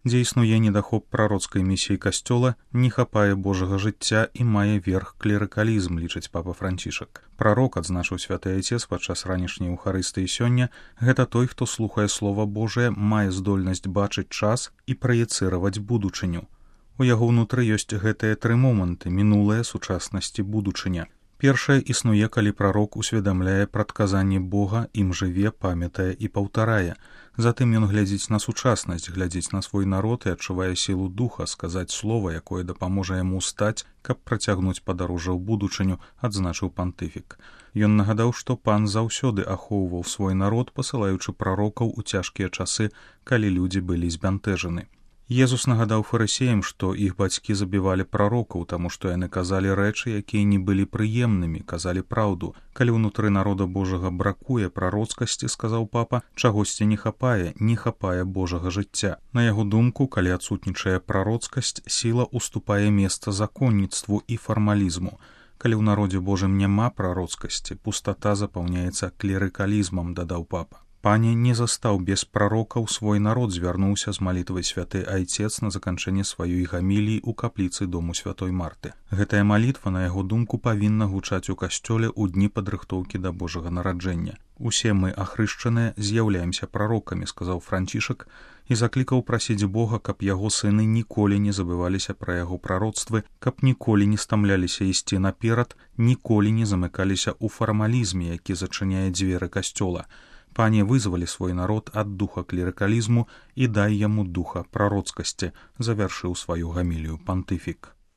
Дзе існуе недахоп прароцкай місіі касцёла, не хапае Божага жыцця і мае верх клерыкалізм, лічыць папа Францішак. Прарок, адзначыў святы айцец падчас ранішняй Еўхарыстыі сёння, гэта той, хто слухае слова Божае, мае здольнасць бачыць час і праецыраваць будучыню. У яго ўнутры ёсць гэтыя тры моманты: мінулае, сучаснасць і будучыня. Першае існуе, калі прарок усведамляе прадказанні Бога, ім жыве, памятае і паўтарае. Затым ён глядзіць на сучаснасць, глядзіць на свой народ і адчувае сілу духа сказаць слова, якое дапаможа яму стаць, каб працягнуць падарожжа ў будучыню, адзначыў пантыфік. Ён нагадаў, што пан заўсёды ахоўваў свой народ, пасылаючы прарокаў у цяжкія часы, калі людзі былі збянтэжаны. Езус нагадаў фарысеям, што іх бацькі забівалі прарокаў, таму што яны казалі рэчы, якія не былі прыемнымі, казалі праўду. Калі ўнутры народа Божага бракуе прароцкасці, сказаў папа, чагосьці не хапае Божага жыцця. На яго думку, калі адсутнічае прароцкасць, сіла уступае месца законніцтву і фармалізму. Калі ў народзе Божым няма прароцкасці, пустата запаўняецца клерыкалізмам, дадаў папа. Пане не застаў без прарокаў свой народ, звярнуўся з малітвай святы айцец на заканчэнне сваёй гаміліі ў капліцы дому святой Марты. Гэтая малітва, на яго думку, павінна гучаць у касцёле ў дні падрыхтоўкі да Божага нараджэння. Усе мы, ахрышчаныя, з'яўляемся прарокамі, сказаў Францішак, і заклікаў прасіць Бога, каб яго сыны ніколі не забываліся пра яго прароцтвы, каб ніколі не стамляліся ісці наперад, ніколі не замыкаліся ў фармалізме, які зачыняе дзверы касцёла. Пане, вызвалі свой народ ад духа клерыкалізму і дай яму духа прароцкасці, завяршыў сваю гамілію пантыфік.